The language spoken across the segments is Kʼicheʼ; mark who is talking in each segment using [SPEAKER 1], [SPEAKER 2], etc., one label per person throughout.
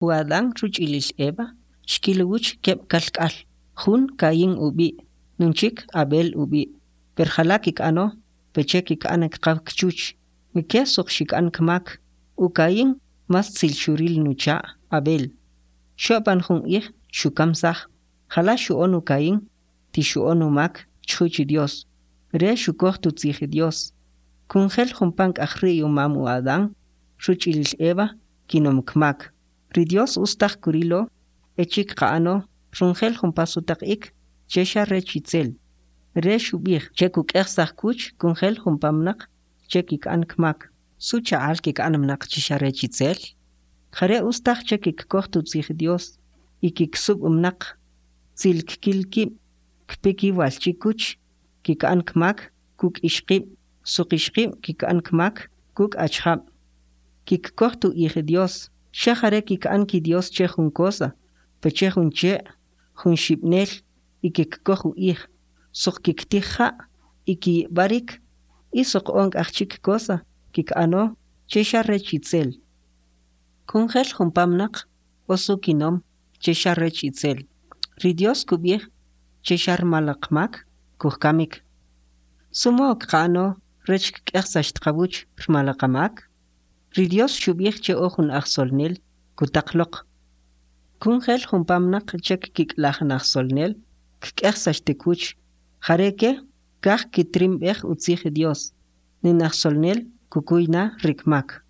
[SPEAKER 1] U Adán rich'il Eva xkil uwuch keb' kalk'al, jun Caín ub'i', nun chik Abel ub'i'. Per jala kik'ano peche kik'an kqaw kchuch. Ke soq xik'an kmak. U Caín mas tzel xuril nucha' Abel. Xo'pan jun ij xukamsaj. Jala xu'on u Caín ti xu'on umak chjuch Dios. Re xukoj utzij Dios. Kunjel jumpa nk'aj ri'y umam u Adán rich'il Eva kinom kmak. Ri Dios ustaj kurilo echi' kqa'ano runjel jumpa sutaq'ik che xa rech itzel. Re xub'ij che kuk'ejsaj kwuch kunjel jumpa mnaq che kik'an kmak. Su cha'al kik'an mnaq che xa rech itzel? Jare ustaj che kikkoj utzij Dios y kiksub' mnaq, tzil kkil kib', kpi kiwal chikuch, kik'an kmak kuk' ixqib', soq ixqib' kik'an kmak kuk' achjab'. Kikkoj u'ij Dios, xa jare kik'an kidios che jun cosa, peche jun che', jun xib'nel y kikkoj u'ij, soq kiktij ja' y kiyib'arik y soq o nk'aj chik cosa kik'ano che xa rech itzel. Kunjel jumpa mnaq o su kinom che xa rech itzel. Ri Dios kub'ij che xa rmal qmak kujkamik. ¿Su modo kqa'ano rech kk'ejsax qawuch rmal qamak? Ri Dios xub'ij che o jun ajsolnel kutaq loq. Kunjel jumpa mnaq che kik'laj najsolnel kk'ejsax tikuch. Jare ke kaj kitrimb'ej utzij Dios. Ni najsolnel kukuy na rikmak.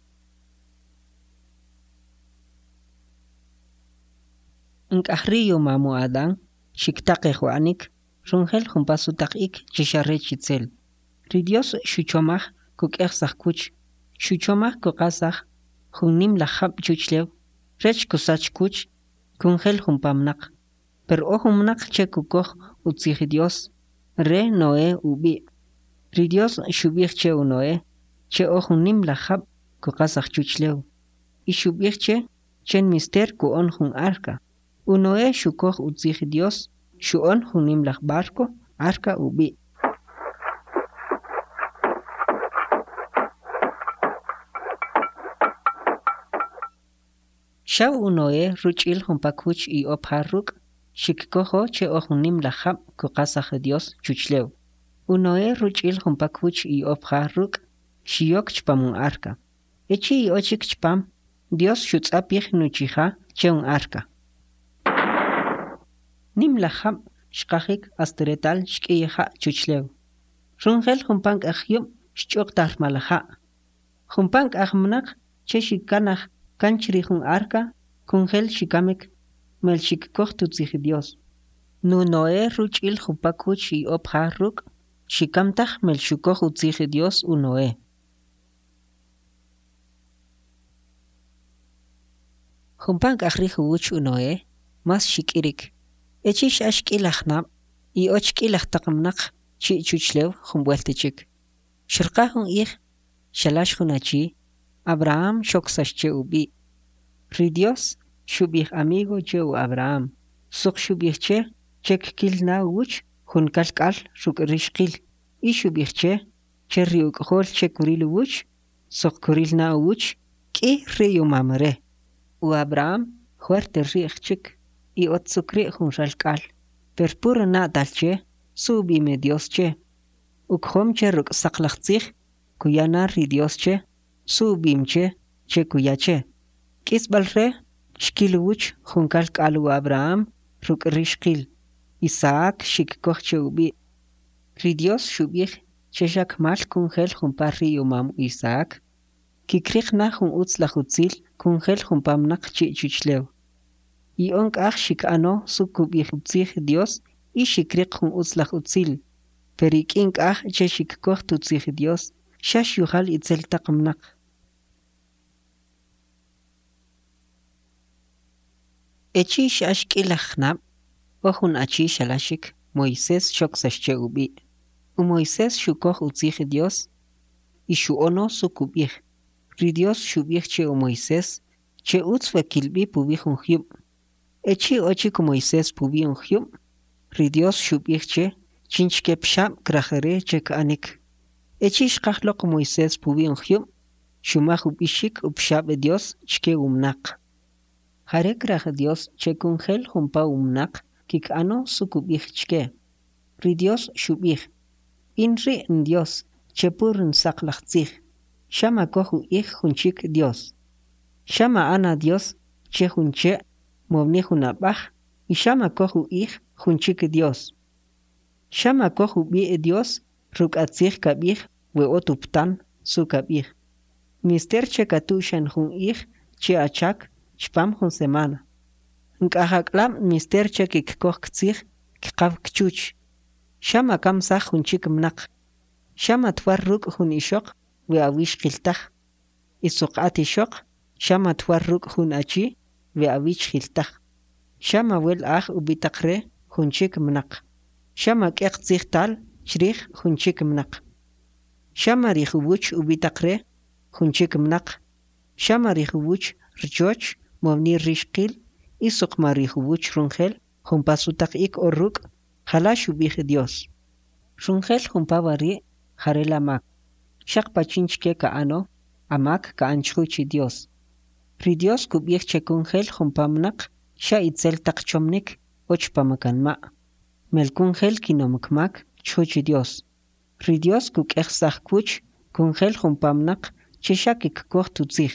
[SPEAKER 1] Nk'aj ri'y umam u Adán xiktaqej u'anik runjel jumpa sutaq'ik che xa rech itzel. Ri Dios xuchomaj kuk'ejsaj kwuch. Xuchomaj kuqasaj jun nim laj jab' chuchlew rech kusach kwuch kunjel jumpa mnaq. Per o jun mnaq che kukoj utzij Dios, re Noé ub'i'. Ri Dios xub'ij che u Noé che o jun nim laj jab' kuqasaj chuchlew. Y xub'ij che che nmister ku'on jun arca. U Noé xukoj utzij Dios xu'on jun nim laj barco, arca ub'i'. Xaw u Noé rich'il jumpa kwuch iy'o pja ruk' xikkojo che o jun nim laj jab' kuqasaj Dios chuchlew. U Noé rich'il jumpa kwuch iy'o pja ruk' xiyok chpam un arca. Echi' iy'o chik chpam, Dios xutz'apij nuchija che un arca. Nim laj jab' xqajik ast retal xk'iy ja' chuchlew. Runjel jumpa nk'aj jyub' xch'uqtaj rmal ja'. Jumpa nk'aj mnaq che xikanaj kan chrij un arca kunjel xikamik mal xikkoj utzij Dios. Nu Noé rich'il jumpa kwuch iy'o pja ruk' xikam taj mal xukoj utzij Dios u Noé. Jumpa nk'aj rij uwuch u Noé mas xik'irik. Echi' x'ax k'i laj jnab' iy'och k'i laj taq mnaq chi' chuchlew jun b'welt chik. Xurqa jun ij xalax jun achi, Abraham xoksax che ub'i'. Ri Dios xub'ij amigo che u Abraham, soq xub'ij che che kkil na uwuch jun kalk'al ruk' rixqil y xub'ij che che ri uk'jol che kuril uwuch soq kuril na uwuch k'i ri'y umam re. U Abraham jwert ri'j chik y ot su kri' jun ralk'al, per puro na'tal che su ub'im Dios che. Ukjom che ruk' saqlaj tzij kuya na ri Dios che su ub'im che che kuya che. K'isb'al re xkil uwuch jun kalk'al u Abraham ruk' rixqil, Isaac xikkoj che ub'i'. Ri Dios xub'ij che xa kmal kunjel jumpa ri'y umam Isaac, kikriq na jun utz laj utzil kunjel jumpa mnaq chi' chuchlew. Iy'o nk'aj xik'ano su kub'ij utzij Dios y xikriq jun utz laj utzil, per ik'i nk'aj che xikkoj utzij Dios xa xyujal itzel taq mnaq. Echi' x'ax k'i laj jnab', o jun achi xalaxik, Moisés xoksax che ub'i'. U Moisés xukoj utzij Dios y xu'ono su kub'ij. Ri Dios xub'ij che u Moisés che utz we kilb'i puwi jun jyub'. Echi' o chik u Moisés puwi un jyub', ri Dios xub'ij che chinchke pxab' kraj re che k'anik. Echi' xqaj loq u Moisés puwi un jyub', xumaj ub'ixik upxab' Dios chke umnaq. Jare kraj Dios che kunjel jumpa mnaq kik'ano su kub'ij chke. Ri Dios xub'ij: In ri' nDios che puro nsaqlaj tzij, xa makoj u'ij jun chik dios. Xa ma'an adios che jun che' mowni jun ab'aj y xa makoj u'ij jun chik dios. Xa makoj ub'i' Dios ruk' atzij kab'ij we ot uptan su kab'ij. Nmister che katu'xan jun ij che achak chpam jun semana. Nk'aj ak'lab' nmister che kikkoj ktzij kqaw kchuch. Xa makamsaj jun chik mnaq. Xa matwar ruk' jun ixoq we awixqil taj. Y soq at ixoq xa matwar ruk' jun achi we awichjil taj. Xa mawel'aj ub'itaqre jun chik mnaq. Xa mak'eq tzijtal chrij jun chik mnaq. Xa marij uwuch ub'itaqre jun chik mnaq. Xa marij uwuch rchoch mowni rixqil y soq marij uwuch runjel jumpa sutaq'ik o ruk', jala xub'ij Dios. Runjel jumpa wari' jarela mak. Xaq pachinchke ka'ano, amak ka'an chjuch Dios. Ri Dios kub'ij che kunjel jumpa mnaq xa itzel taq chomnik o chpam kanma'. Mel kunjel kinom kmak chjuch Dios. Ri Dios kuk'ejsaj kwuch kunjel jumpa mnaq che xa kikkoj utzij.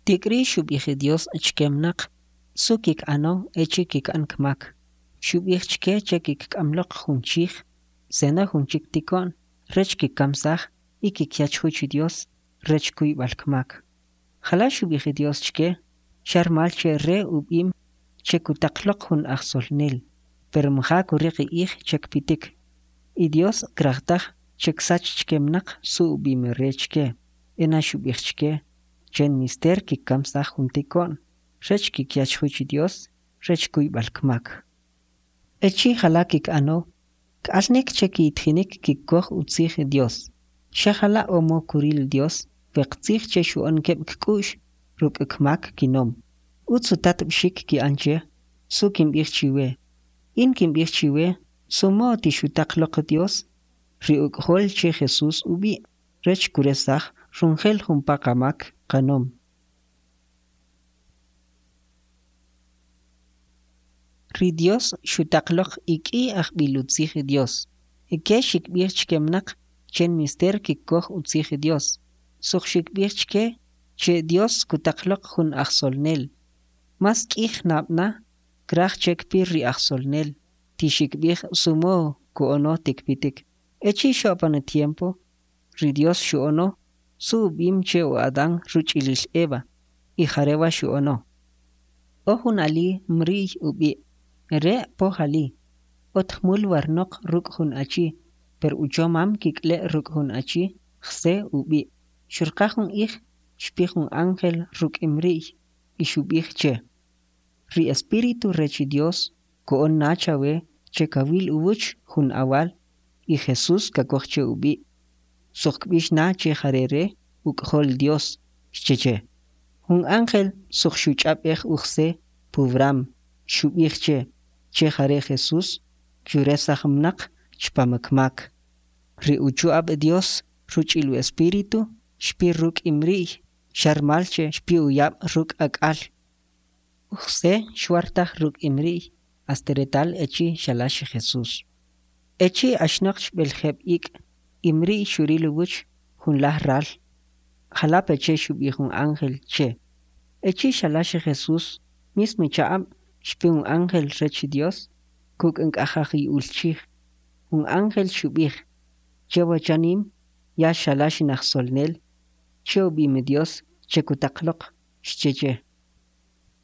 [SPEAKER 1] Tik'ri xub'ij Dios chke mnaq su kik'ano echi' kik'an kmak. Xub'ij chke che kikk'am loq jun chij, sena jun chik tiko'n rech kikkamsaj y kikya chjuch Dios rech kuyb'al kmak. Jala xub'ij Dios chke, xa rmal che Re ub'im che kutaq loq jun ajsolnel, per mja kuriq ij che kpitik. Y Dios kraj taj che ksach chke mnaq su ub'im Re chke. Ena xub'ij chke che nmister kikkamsaj jun tiko'n rech kikya chjuch Dios rech kuyb'al kmak. Echi' jala kik'ano, k'alnik che kiyitjinik kikkoj utzij Dios. Xa jala' o mow kuril Dios we qtzij che xu'on keb' kk'u'x ruk' kmak kinom. Utz utatb'xik ki'an che, su kimb'ij chiwe. In kimb'ij chiwe su mow ti xutaq loq Dios, ri uK'jol che Jesús ub'i', rech kuresaj runjel jumpa qamak qanom. Ri Dios xutaq loq ik'i ajb'il utzij Dios. Ike xikb'ij chke mnaq che nmister kikkoj utzij Dios. Soq xikb'ij chke che Dios kutaq loq jun ajsolnel. Mas k'i jnab' na kraj che kpi ri ajsolnel, ti xikb'ij su mow ku'ono ti kpitik. Echi' xo'pan tiempo, ri Dios xu'ono su ub'im che u Adán rich'il Eva, y jarewa xu'ono. O jun ali Mri'y ub'i', re poj ali, ot jmul warnoq ruk' jun achi, per uchomam kik'le' ruk' jun achi Jse ub'i'. Xurqa jun ij, xpi jun ángel ruk' Mri'y y xub'ij che: Ri Espíritu rech Dios ku'on na chawe che kawil uwuch jun awal y Jesús kakoj che ub'i'. Soq kb'ix na che jare Re uK'jol Dios, xche che. Jun ángel soq xuch'ab'ej u Jse pubram, xub'ij che, che jare Jesús kyuresaj mnaq chpam kmak. Ri uchu'ab' Dios rich'il u Espíritu xpi ruk' Mri'y xa rmal che xpi uyab' ruk' ak'al. U Jse xwar taj ruk' Mri'y ast retal echi' xalax Jesús. Echi' axnaqch b'eljeb' ik', Mri'y xuril uwuch jun laj ral, jala peche xub'ij un ángel che. Echi' xalax Jesús, mismo cha'ab' xpi un ángel rech Dios kuk' nk'aj ajy'ul chij. Un ángel xub'ij: Chewa chanim ya xalax najsolnel che ub'im Dios che kutaq loq, xche che.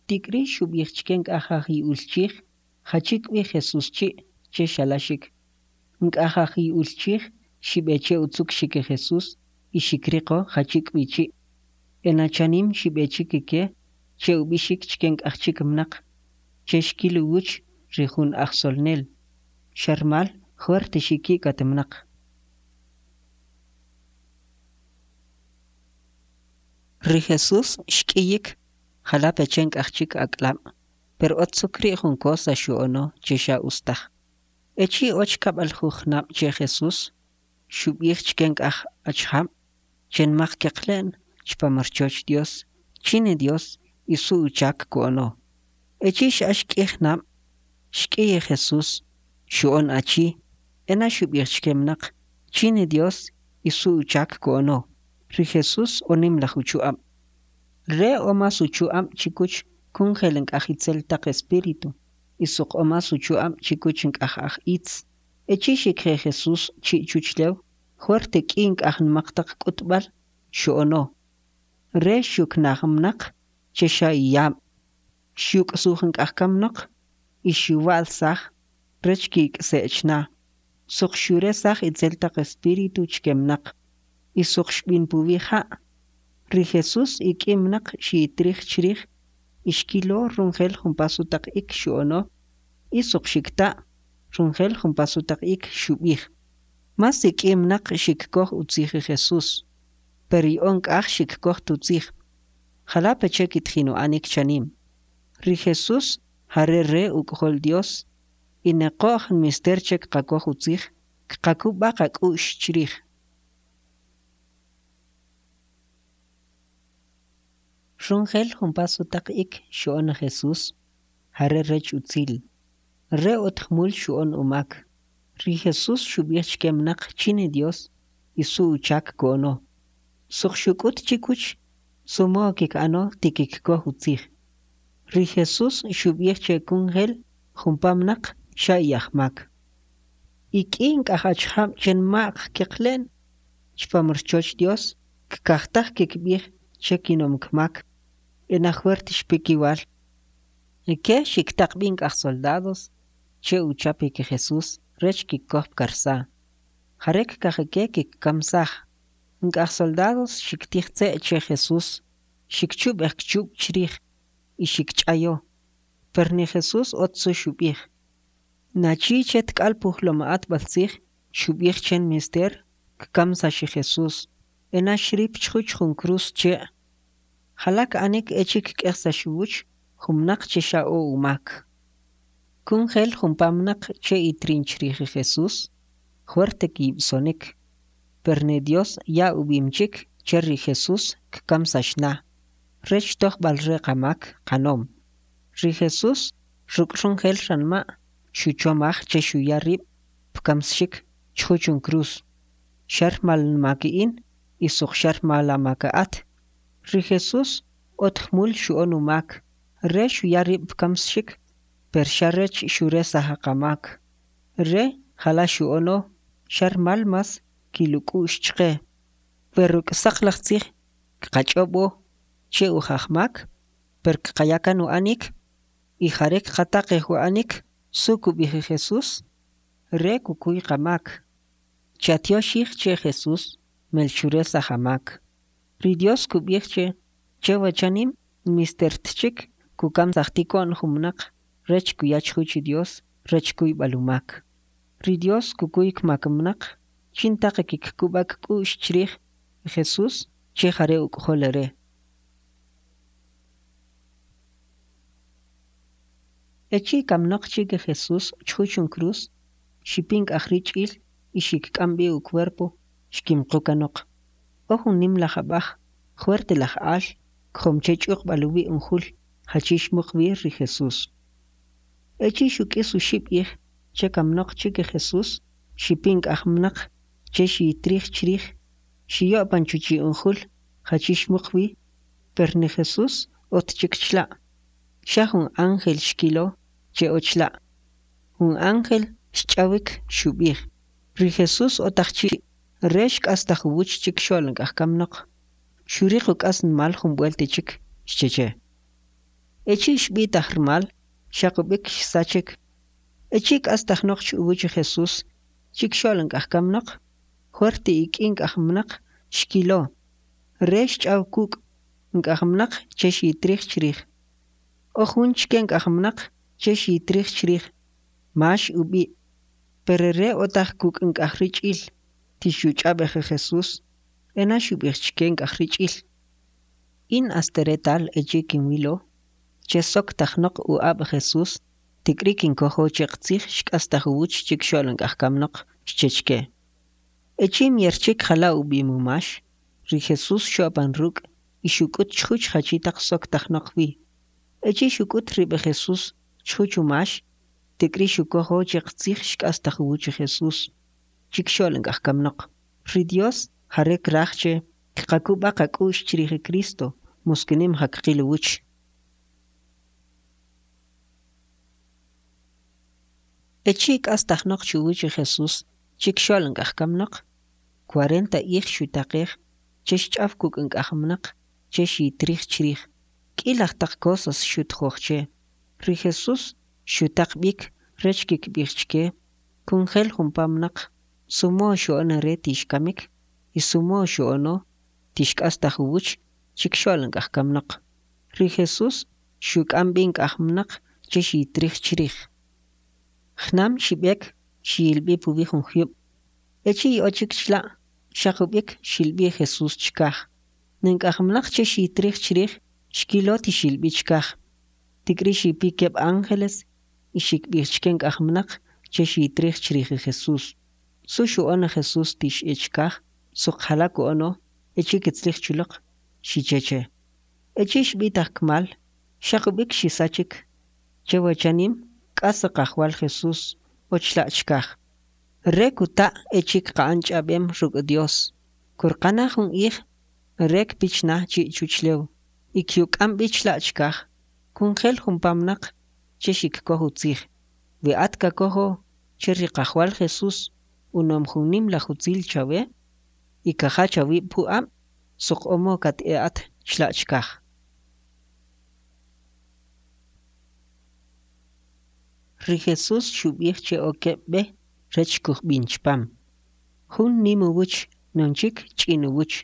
[SPEAKER 1] Tik'ri xub'ij chke nk'aj ajy'ul chij jachi k'wi Jesús chi' che xalaxik. Nk'aj ajy'ul chij xib'e che utzukxik Jesús y xikriqo jachi k'wi chi'. Ena chanim xib'e chik ike che ub'ixik chke nk'aj chik mnaq che xkil uwuch ri jun ajsolnel, xa rmal jwert xiki'kat mnaq. Ri Jesús xk'iyik jala peche nk'aj chik ak'lab', per ot su kri' jun cosa xu'ono che xa ustaj. Echi' och kab'aljuj jnab' che Jesús, xub'ij chke nk'aj achjab' che nmaq keqle'n chpam rchoch Dios chin Dios y su uchak ku'ono. Echi' x'ax k'i jnab', xk'iy Jesús, xu'on achi, ena xub'ij chke mnaq chin Dios y su uchak ku'ono. Ri Jesús o nimlaj uchu'ab'. Re o mas uchu'ab' chikuch kunjel nk'aj itzel taq espíritu y soq o mas uchu'ab' chikuch nk'aj aj itz. Echi' xikje Jesús chi' chuchlew, jwert k'i nk'aj nmaq taq k'utb'al xu'ono. Re xyuknaj mnaq che xa iyab', xyuk'suj nk'aj kamnaq y xyuwa'lsaj rech kik'se' chna. Soq xuresaj itzel taq espíritu chke mnaq y soq xb'in puwi ja'. Ri Jesús ik'i mnaq xiyitrij chrij y xkilo runjel jumpa sutaq'ik xu'ono y soq xikta' runjel jumpa sutaq'ik xub'ij. Mas ik'i mnaq xikkoj utzij Jesús, per iy'o nk'aj xikkoj tutzij. Jala peche kitjin u'anik chanim. Ri Jesús jare Re uK'jol Dios y ne qo'j nmister che kqakoj utzij, kqakub'a qak'u'x chrij. Runjel jumpa sutaq'ik xu'on Jesús, jare rech utzil. Re ot jmul xu'on umak. Ri Jesús xub'ij chke mnaq chin Dios y su uchak ku'ono. Soq xuk'ut chikuch su modo kik'ano ti kikkoj utzij. Ri Jesús xub'ij che kunjel jumpa mnaq xa iyajmak. Ik'i nk'aj achjab' che nma'q keqle'n chpam rchoch Dios kkaj taj kikb'ij che kinom kmak, ena jwert xpi kiwal. Ke xiktaq b'i nk'aj soldados che uchapik Jesús rech kikkoj pkarsa. Jare kkaj ke kikkamsaj. Nk'aj soldados xiktij tze' che Jesús, xikchub'ej kchub' chrij y xikch'ayo. Per ni Jesús ot su xub'ij. Nachi che tk'al pujlom atb'altzij xub'ij che nmister kkamsax Jesús. Ena xrip chjuch jun cruz che'. Jala k'anik echi' kk'ejsax uwuch jun mnaq che xa o umak. Kunjel jumpa mnaq che itrin chrij Jesús, jwert kiyib'sonik. Per ni Dios ya ub'im chik che ri Jesús kkamsax na, rech tojb'alre qamak qanom. Ri Jesús ruk' runjel ranma' xuchomaj che xuya rib' pkamsxik chjuch un cruz. Xa rmal nmak in y soq xa rmal amak at. Ri Jesús ot jmul xu'on umak, Re xuya rib' pkamsxik, per xa rech xuresaj qamak. Re jala xu'ono xa rmal mas kil uk'u'x chqe. Per ruk' saqlaj tzij kqach'ob'o che uj ajmak, per kqaya kan u'anik y jare kqataqej u'anik su kub'ij Jesús, Re kukuy qamak. Chatyoxij che Jesús mel xuresaj amak. Ri Dios kub'ij che che wachanim nmister tchik kukamsaj tiko'n jun mnaq rech kuya chjuch Dios rech kuyb'al umak. Ri Dios kukuy kmak mnaq chintaq kikkub'a kk'u'x chrij Jesús che jare uK'jol Re. Echi' kamnaq chik Jesús chjuch un cruz, xipi nk'aj rich'il y xikk'am b'i ucuerpo xkimqu kanoq. O jun nimlaj ab'aj, jwert laj al, kjom che ch'uqb'al uwi' un jul jachi xmuq wi ri Jesús. Echi' xuk'is uxib' ij che kamnaq chik Jesús, xipi nk'aj mnaq che xiyitrij chrij, xiyo'pan chuchi' un jul jachi xmuq wi, per ni Jesús ot chik chla'. Xa jun ángel xkilo che o chla'. Jun ángel xch'awik xub'ij: Ri Jesús otaj chi', Re xk'astaj uwuch chikxo'l nk'aj kamnaq. Xuriq uk'asnmal jun b'welt chik, xche che. Echi' xb'itaj rmal, xaq ub'ik xsachik. Echi' k'astajnoqch uwuch Jesús chikxo'l nk'aj kamnaq, jwert ik'i nk'aj mnaq xkilo. Re xch'aw kuk' nk'aj mnaq che xiyitrij chrij. O jun chke nk'aj mnaq che xiyitrij chrij, Max ub'i'. Per re otaj kuk' nk'aj rich'il, ti xyuch'ab'ej Jesús, ena xub'ij chke nk'aj rich'il: In ast retal echi' kinwilo che soktajnaq u'ab' Jesús, tik'ri kinkojo che qtzij xk'astaj uwuch chikxo'l nk'aj kamnaq, xche chke. Echi' myer chik jala ub'im u Max, ri Jesús xo'pan ruk' y xuk'ut chjuch jachi taq soktajnaq wi. Echi' xuk'ut rib' Jesús chjuch u Max, tik'ri xukojo che qtzij xk'astaj uwuch Jesús chikxo'l nk'aj kamnaq. Ri Dios jare kraj che kqakub'a qak'u'x chrij Cristo, muskini mja kqil uwuch. Echi' k'astajnaqch uwuch Jesús chikxo'l nk'aj kamnaq, kwarenta ij xutaqej che xch'aw kuk' nk'aj mnaq che xiyitrij chrij. K'i laj taq cosas xutjoj che. Ri Jesús xyutaq b'ik rech kikb'ij chke kunjel jumpa mnaq su modo xu'on Re ti xkamik y su modo xu'ono ti xk'astaj uwuch chikxo'l nk'aj kamnaq. Ri Jesús xyuk'am b'i nk'aj mnaq che xiyitrij chrij. Jnam xib'ek xiyil b'i puwi jun jyub'. Echi' iy'o chik chla', xaq ub'ik xil b'i Jesús chkaj. Ni nk'aj mnaq che xiyitrij chrij, xkilo ti xil b'i chkaj. Tik'ri xipi keb' ángeles y xikb'ij chke nk'aj mnaq che xiyitrij chrij Jesús. Su xu'on Jesús ti x'e chkaj, soq jala ku'ono echi' kitzlij chuloq, xiche che. Echi' xb'itaj kmal, xaq ub'ik xisachik. Che wachanim k'as Qajwal Jesús o chla' chkaj. Re kuta' echi' kqa'an ch'ab'em ruk' Dios. Kurqa na jun ij Re kpi chna chi' chuchlew y kyuk'am b'i chla' chkaj kunjel jumpa mnaq che xikkoj utzij. We at kakojo che ri Qajwal Jesús unom jun nimlaj utzil chawe y kajach awib' pu'ab', soq o modo kat'e at chla' chkaj. Ri Jesús xub'ij che o keb' b'e rech kujb'in chpam. Jun nim uwuch, nun chik ch'in uwuch.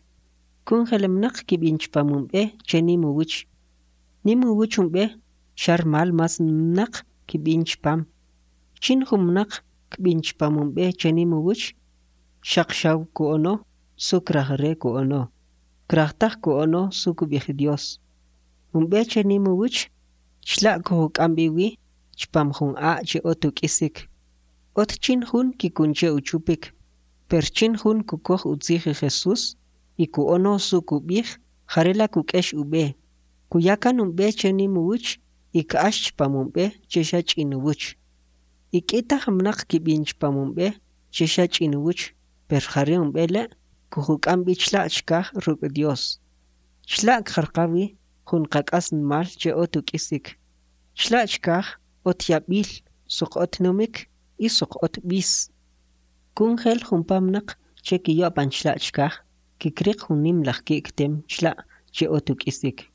[SPEAKER 1] Kunjel mnaq kib'in chpam un b'e che nim uwuch. Nim uwuch un b'e xa rmal mas mnaq kib'in chpam. Chin jun mnaq kb'in chpam un b'e che nim uwuch, xaq xaw ku'ono su kraj re ku'ono, kraj taj ku'ono su kub'ij Dios. Un b'e che nim uwuch, chla' kujuk'am b'i wi chpam jun a' che ot uk'isik. Ot chin jun kikun che uchupik, per chin jun kukoj utzij Jesús y ku'ono su kub'ij, jarela kuk'ex ub'e, kuya kan un b'e che nim uwuch y k'ax chpam un b'e che xa ch'in uwuch. Ik'i taq mnaq kib'in chpam un b'e che xa ch'in uwuch, per jare un b'e le' kujuk'am b'i chla' chkaj ruk' Dios. Chla' kqarqa wi jun qak'asnmal che ot uk'isik. Chla' chkaj ot yab'il, soq ot numik y soq ot b'is. Kunjel jumpa mnaq che kiyo'pan chla' chkaj, kikriq jun nimlaj ki'ktem chla' che ot uk'isik.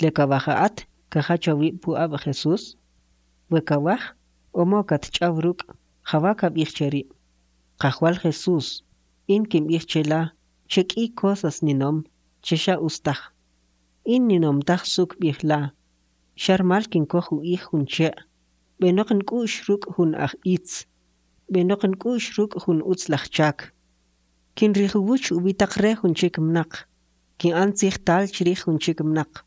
[SPEAKER 1] Le kawaj at kajach awib' pu'ab' Jesús? We kawaj, o modo katch'aw ruk', jawa kab'ij che ri': Qajwal Jesús, in kimb'ij che la che k'i cosas ninom che xa ustaj. In ninom taj su kb'ij la, xa rmal kinkoj u'ij jun che', b'enaq nk'u'x ruk' jun aj itz, b'enaq nk'u'x ruk' jun utzlaj chak. Kinrij uwuch ub'itaqre jun chik mnaq, kin'an tzijtal chrij jun chik mnaq.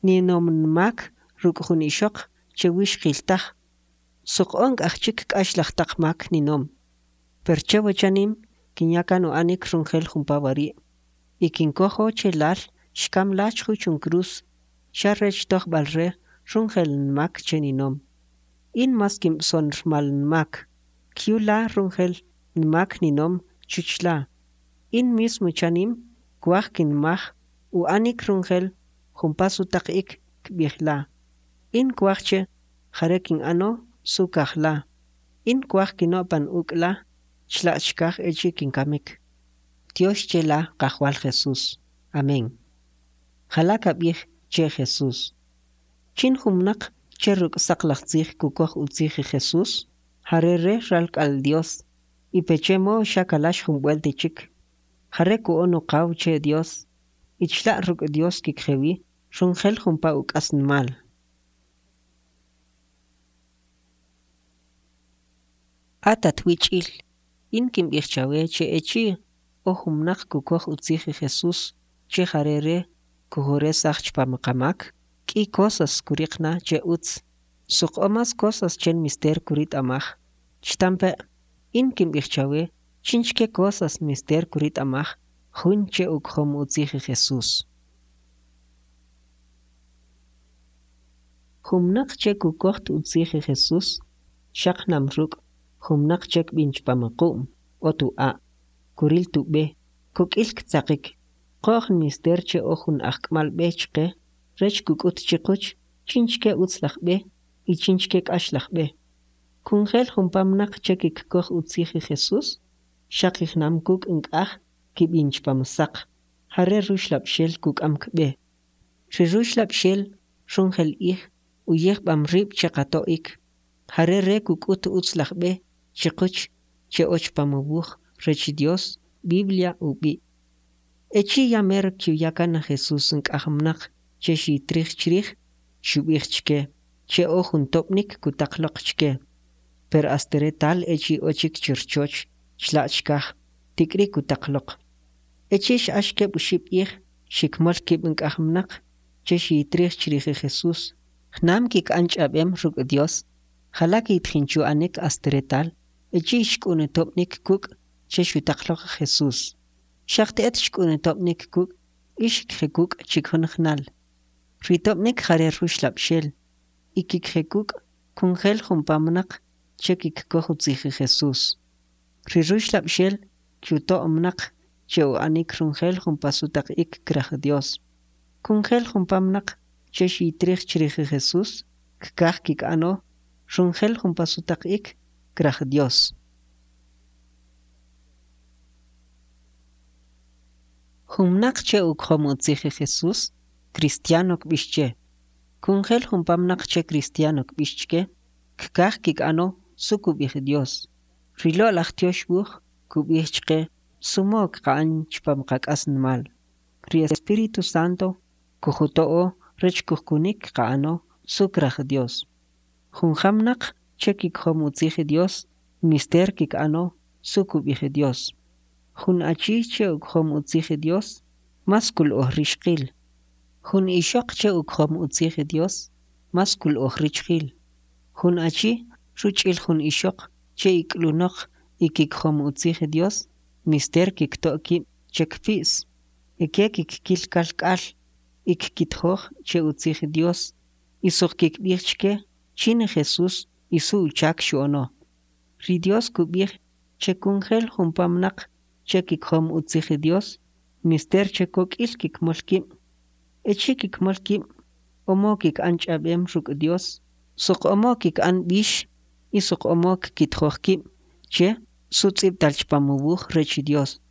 [SPEAKER 1] Ninom nmak ruk' jun ixoq che wixqil taj, soq o nk'aj chik k'axlaj taq mak ninom. Per che wachanim kinya kan u'anik runjel jumpa wari' y kinkojo che lal xkam la chjuch un cruz xa rech tojb'alre runjel nmak che ninom. In mas kimb'son rmal nmak, kyu la runjel nmak ninom chuch la. In mismo chanim kwaj kinmaj u'anik runjel jumpa sutaq'ik kb'ij la. In kwaj che jare kin'ano su kaj la. In kwaj kino'pan uk' la chla' chkaj echi' kinkamik. Tyox che la Qajwal Jesús. Amén. Jala kab'ij che Jesús. Chin jun mnaq che ruk' saqlaj tzij kukoj utzij Jesús, jare re ralk'al Dios, y peche modo xa kalax jun b'welt chik. Jare ku'on uqaw che Dios, y chla' ruk' Dios kikje wi runjel jumpa uk'asnmal. At atwich'il, in kimb'ij chawe che echi' o jun mnaq kukoj utzij Jesús che jare Re kujuresaj chpam qamak, k'i cosas kuriq na che utz, soq o mas cosas che nmister kurit'amaj. Chtampe', in kimb'ij chawe chinchke cosas nmister kurit'amaj jun che ukjom utzij Jesús. Jun mnaq che kukoj utzij Jesús, xaq jnam ruk' jun mnaq che kb'in chpam qu'm, ot u'a', kuril tub'e, kok'il ktzaqik. Qo'j nmister che o jun ajk'mal b'e chqe rech kuk'ut chiquch chinchke utzlaj b'e y chinchke k'axlaj b'e. Kunjel jumpa mnaq che kikkoj utzij Jesús, xaq ijnam kuk' nk'aj kib'in chpam saq, jare Ruxlab'xel kuk'am kb'e. Ri Ruxlab'xel runjel ij uyijb'am rib' che qato'ik, jare Re kuk'ut utzlaj b'e chiquch che o chpam wuj rech Dios, Biblia ub'i'. Echi' ya mer kyuya kan Jesús nk'aj mnaq che xitrij chrij, xub'ij chke che o jun tob'nik kutaq loq chke. Per ast retal echi' o chik chirchoch chla' chkaj, tik'ri kutaq loq. Echi' x'ax keb' uxib' ij, xikmol kib' nk'aj mnaq che xitrij chrij Jesús. Jnam kik'an ch'ab'em ruk' Dios, jala kiytjin chu'anik ast retal echi' xk'un tob'nik kuk' che xutaq loq Jesús. Xaq te'et xk'un tob'nik kuk' y xikje kuk' chikjunjnal. Ri tob'nik jare Ruxlab'xel y kikje kuk' kunjel jumpa mnaq che kikkoj utzij Jesús. Ri Ruxlab'xel kyuto' mnaq che u'anik runjel jumpa sutaq'ik kraj Dios. Kunjel jumpa mnaq che xitrij chrij Jesús kkaj kik'ano runjel jumpa sutaq'ik kraj Dios. Jun mnaq che ukjom utzij Jesús, cristiano kb'ix che. Kunjel jumpa mnaq che cristiano kb'ix chke, kkaj kik'ano su kub'ij Dios. Ri lo'laj Tyox Wuj kub'ij chqe su mow kqa'an chpam qak'asnmal. Ri Espíritu Santo kujuto'o rech kujkunik kqa'ano su kraj Dios. Jun mnaq che kikjom utzij Dios, nmister kik'ano su kub'ij Dios. Jun achi che ukjom utzij Dios, mas kul'oj rixqil. Jun ixoq che ukjom utzij Dios, mas kul'oj richjil. Jun achi ruch'il jun ixoq che ik'lunoq y kikjom utzij Dios, nmister kikto' kib' che kpi's. Ike kikkil kalk'al y kkitjoj che utzij Dios y soq kikb'ij chke chin Jesús y su uchak xu'ono. Ri Dios kub'ij che kunjel jumpa mnaq che kikjom utzij Dios, nmister che kok'il kikmol kib'. Echi' kikmol kib', o mow kik'an ch'ab'em ruk' Dios, soq o mow kik'an b'ix y soq o mow kkitjoj kib' che su tz'ib'tal chpam wuj rech Dios.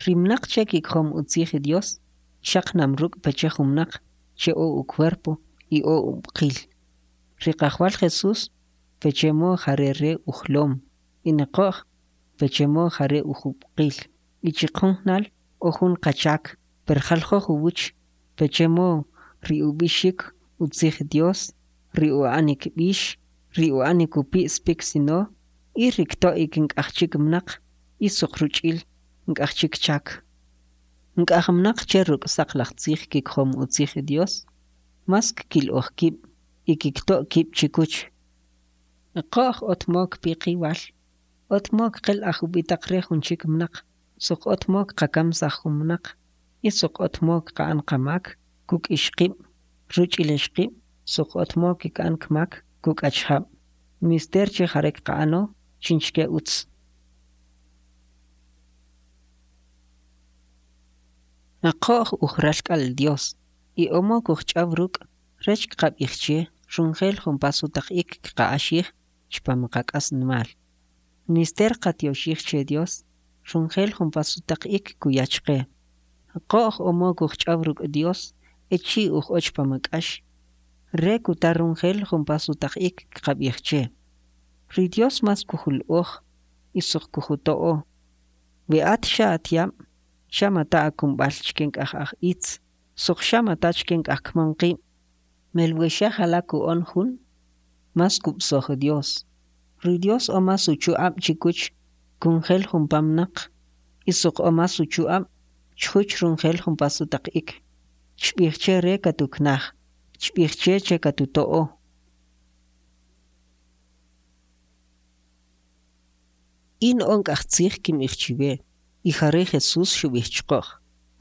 [SPEAKER 1] Ri mnaq che kikjom utzij Dios, xaq jnam ruk' peche jun mnaq che o ucuerpo y o ub'qil. Ri Qajwal Jesús peche mow jare Re ujlom, y ni qo'j peche mow jare ujub'qil. Y chiqjunjnal o jun qachak, per jaljoj uwuch peche mow ri ub'ixik utzij Dios, ri u'anik b'ix, ri u'anik upi's piksino y ri kto'ik nk'aj chik mnaq y soq ruch'il nk'aj chik chak. Nk'aj mnaq che ruk' saqlaj tzij kikjom utzij Dios, mas kkil'oj kib' y kikto' kib' chikuch. Qo'j ot mow kpi qiwal, ot mow kqel'aj ub'itaqre jun chik mnaq, soq ot mow kqakamsaj jun mnaq, y soq ot mow kqa'an qamak kuk' ixqib' ruch'il ixqib' soq ot mow kik'an kmak kuk' achjab'. Nmister che jare kqa'ano chinchke utz. Qo'j ujralk'al Dios y o mow kujch'aw ruk' rech kqab'ij che runjel jumpa sutaq'ik kqa'axij chpam qak'asnmal. Nmister kqatyoxij che Dios runjel jumpa sutaq'ik kuya chqe. Qo'j o mow kujch'aw ruk' Dios echi' uj'o chpam k'ax, Re kuta runjel jumpa sutaq'ik kqab'ij che. Ri Dios mas kujul'oj y soq kujuto'o. We at xa atyab', xa mata akumb'al chke nk'aj aj itz, soq xa mata chke nk'aj kmamqib'. Mel we xa jala ku'on jun, mas kub'soj Dios. Ri Dios o mas uchu'ab' chikuch kunjel jumpa mnaq y soq o mas uchu'ab' chjuch runjel jumpa sutaq'ik. Chb'ij che Re katuknaj, chb'ij che che katuto'o. In o nk'aj tzij kimb'ij chiwe, y jare Jesús xub'ij chqo'j.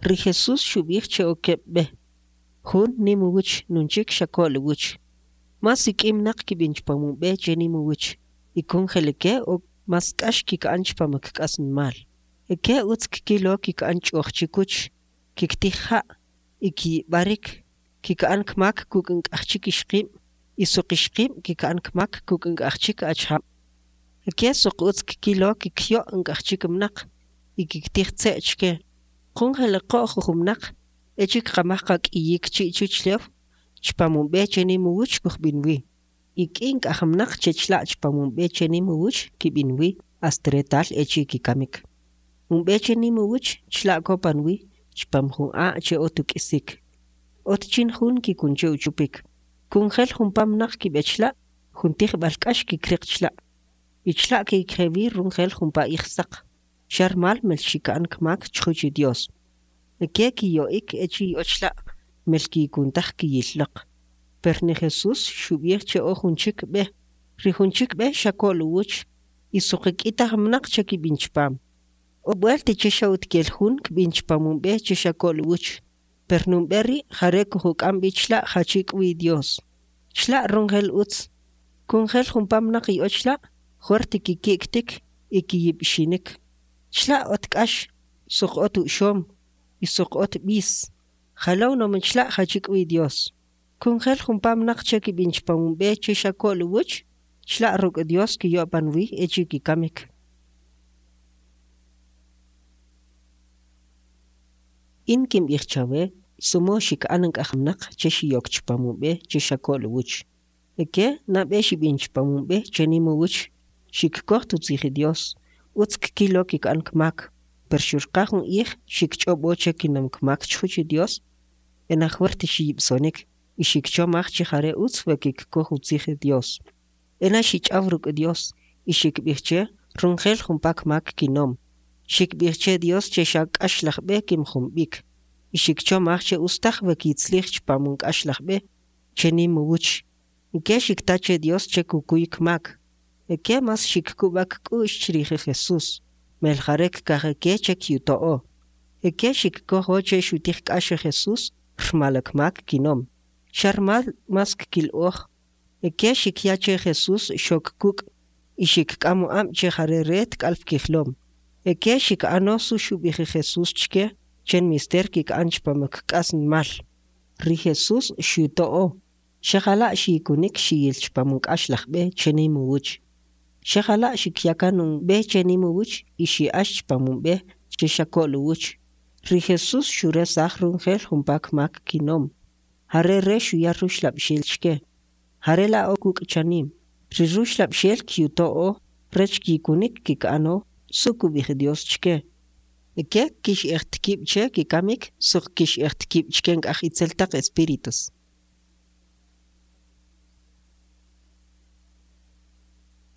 [SPEAKER 1] Ri Jesús xub'ij che o keb' b'e. Jun nim uwuch nun chik xa ko'l uwuch. Mas ik'i mnaq kib'in chpam un b'e che nim uwuch, y kunjel ike o mas k'ax kik'an chpam kk'asnmal. Ike utz kikkilo kik'an ch'oj chikuch, kiktij ja' y kiyib'arik, kik'an kmak kuk' nk'aj chik ixqib' y soq ixqib' kik'an kmak kuk' nk'aj chik achjab'. Ike soq utz kikkilo kikyo' nk'aj chik mnaq y kiktij tze' chke. Qunjel qo'j ujumnaq echi' kqamaj qak'iyik chi' chuchlew, chpam un b'e che nim uwuch kujb'in wi. Ik'i nk'aj mnaq che chla' chpam un b'e che nim uwuch kib'in wi ast retal echi' kikamik. Un b'e che nim uwuch chla' ko'pan wi chpam jun a' che ot uk'isik. Ot chin jun kikun che uchupik. Kunjel jumpa mnaq kib'e chla', jun tijb'al k'ax kikriq chla'. Y chla' kikje wi runjel jumpa ij saq, xa rmal mel xik'an kmak chjuch Dios. Ike kiyo'ik echi' iy'o chla' mel kiyikun taj kiyilloq. Per ni Jesús xub'ij che o jun chik b'e. Ri jun chik b'e xa ko'l uwuch y soq ik'i taj mnaq che kib'in chpam. O b'welt che xa utkel jun kb'in chpam un b'e che xa ko'l uwuch, per nun b'e ri' jare kujuk'am b'i chla' jachi k'wi Dios. Chla' runjel utz. Kunjel jumpa mnaq iy'o chla', jwert kiki'ktik y kiyib'xinik. Chla' ot k'ax, soq ot u'xom y soq ot b'is. Jala unom chla' jachi k'wi Dios. Kunjel jumpa mnaq che kib'in chpam un b'e che xa ko'l uwuch, chla' ruk' Dios kiyo'pan wi echi' kikamik. In kimb'ij chawe su mow xik'an nk'aj mnaq che xiyok chpam un b'e che xa ko'l uwuch. Ike nab'e xib'in chpam un b'e che nim uwuch, xikkoj utzij Dios, utz kkilo kik'an kmak, per xurqa jun ij xikch'ob'o che kinom kmak chjuch Dios, ena jwert xiyib'sonik y xikchomaj che jare utz we kikkoj utzij Dios. Ena xich'aw ruk' Dios y xikb'ij che runjel jumpa kmak kinom. Xikb'ij che Dios che xa k'axlaj b'e kimjom b'ik, y xikchomaj che ustaj we kitzlij chpam un k'axlaj b'e che nim uwuch. Ike xikta che Dios che kukuy kmak. Ike mas xikkub'a kk'u'x chrij Jesús, mel jare kkaj ike che kyuto'o. Ike xikkojo che xutij k'ax Jesús rmal kmak kinom, xa rmal mas kkil'oj. Ike xikya che Jesús xok kuk' y xikk'am u'ab' che jare Re tk'al pkijlom. Ike xik'ano su xub'ij Jesús chke che nmister kik'an chpam kk'asnmal. Ri Jesús xyuto'o, xa jala' xiyikunik xiyil chpam un k'axlaj b'e che nim uwuch. Xa jala' xikya kan un b'e che nim uwuch y xi'ax chpam un b'e che xa ko'l uwuch. Ri Jesús xuresaj runjel jumpa kmak kinom. Jare Re xuya ruxlab'xel chke. Jare la o kuk' chanim. Ri ruxlab'xel kyuto'o rech kiyikunik kik'ano su kub'ij Dios chke. Ike kix'ej kib' che kikamik soq kix'ej kib' chke nk'aj itzel taq espíritus.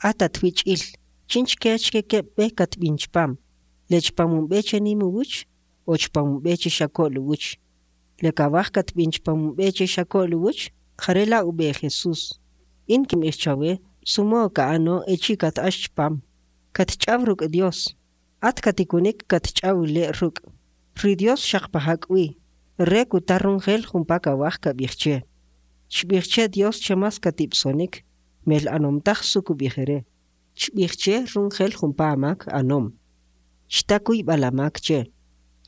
[SPEAKER 1] At atwich'il, chinchke chke keb' b'e katb'in chpam, le chpam un b'e che nim uwuch o chpam un b'e che xa ko'l uwuch. Le kawaj katb'in chpam un b'e che xa ko'l uwuch, jare la' ub'e Jesús. In kimb'ij chawe su mow ka'ano echi' kat'ax chpam. Katch'aw ruk' Dios. At katikunik katch'aw le' ruk'. Ri Dios xaq paja k'wi, Re kuta runjel jumpa kawaj kab'ij che. Chb'ij che Dios che mas katib'sonik, mel anom taj su kub'ij Re. Chb'ij che runjel jumpa amak anom. Chta kuyb'al amak che.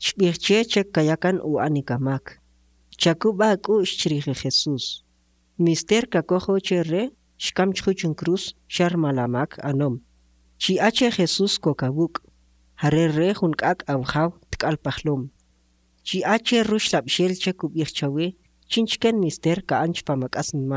[SPEAKER 1] Chb'ij che che kaya kan u'anik amak. Chakub'a ak'u'x chrij Jesús. Nmister kakojo che Re xkam chjuch un cruz xa rmal amak anom. Chiy'a che Jesús kok awuk', jare Re jun k'ak' Awjaw tk'al pajlom. Chiy'a che ruxlab'xel che kub'ij chawe chinchke nmister ka'an chpam ak'asnmal.